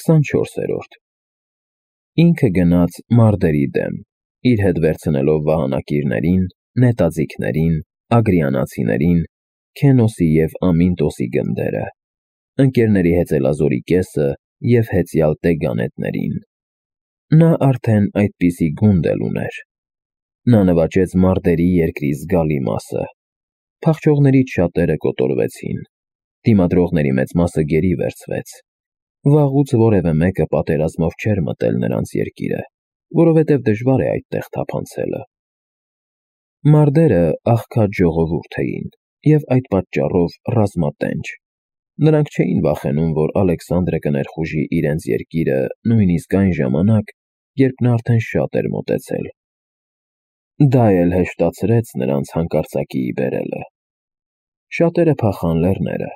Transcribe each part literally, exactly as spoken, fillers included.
քսանչորսերորդ Ինքը գնաց Մարդերի դեմ, իր հետ վերցնելով վահանակիրներին, նետաձիգներին, ագրիանացիներին, Քենոսի և Ամինտոսի գնդերը, ընկերների հեծելազորի կեսը և հեծյալ տեգանետներին։ Նա արդեն այդպիսի գունդ էլ ուներ։ Նա նվաճեց Մարդերի երկրի զգալի մասը։ Փախչողներից շատերը կոտորվեցին, դիմադրողների մեծ մասը գերի վերցվեց։ Վաղուց որևէ մեկը պատերազմով չէր մտել նրանց երկիրը, որովհետև դժվար է այդտեղ թափանցելը։ Մարդերը աղքատ ժողովուրդ էին և այդ պատճառով ռազմատենչ։ Նրանք չէին վախենում, որ Ալեքսանդրը կներխուժի իրենց երկիրը նույնիսկ այն ժամանակ, երբ նա արդեն շատ էր մոտեցել։ Դա էլ հեշտացրեց նրանց հանկարծակիի բերելը։ Շատերը փախան լեռները,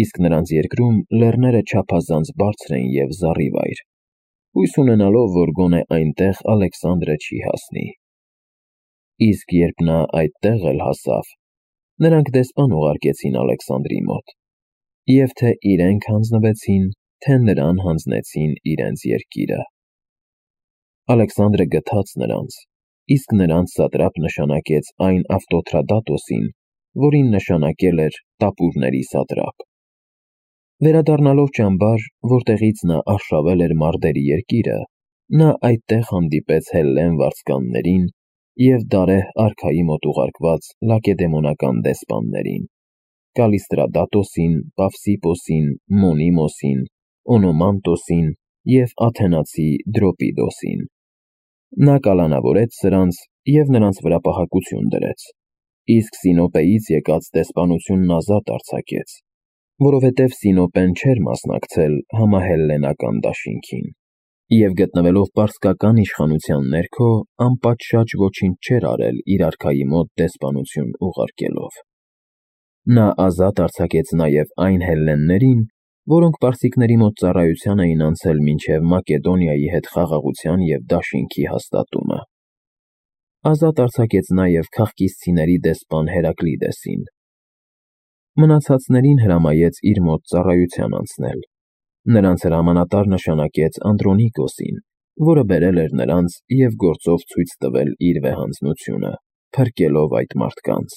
իսկ նրանց երկրում լեռները չափազանց բարձր էին և զառիվայր, հույս ունենալով, որ գոնե այնտեղ Ալեքսանդրը չի հասնի։ Իսկ երբ նա այդտեղ էլ հասավ, նրանք դեսպան ուղարկեցին Ալեքսանդրի մոտ, և թե իրենք հանձնվեցին, թե նրան հանձնեցին իրենց երկիրը։ Ալեքսանդրը գթաց նրանց, իսկ նրանց սատրապ նշանակեց այն Ավտոթրադատոսին, որին նշանակել էր տապուրների սատրապ։ Վերադառնալով ճամբար, որտեղից նա արշավել էր Մարդերի երկիրը, նա այդտեղ հանդիպեց Հելլեն վարձկաններին և Դարեհ արքայի մոտ ուղարկված լակեդեմոնական դեսպաններին՝ Կալիստրադատոսին, Պավսիպոսին, Մոնիմոսին, Օնոմանտոսին և աթենացի Դրոպիդոսին։ Նա կալանավորեց սրանց և նրանց վրա պահակություն դրեց, իսկ Սինոպեից եկած դեսպանությունն ազատ արձակեց, որովհետև Սինոպեն չէր մասնակցել համահելլենական դաշինքին, և գտնվելով պարսկական իշխանության ներքո, անպատշաճ ոչինչ չէր արել իր արքայի մոտ դեսպանություն ուղարկելով։ Նա ազատ արձակեց նաև այն հելլեններին, որոնք պարսիկների մոտ ծառայության էին անցել մինչև Մակեդոնիայի հետ խաղաղության և դաշինքի հաստատումը։ Ազատ արձակեց նաև քաղկիսցիների դեսպան Հերակլիդեսին։ Մնացածներին հրամայեց իր մոտ ծառայության անցնել։ Նրանց հրամանատար նշանակեց Անդրոնիկոսին, որը բերել էր նրանց և գործով ցույց տվել իր վեհանձնությունը, փրկելով այդ մարդկանց։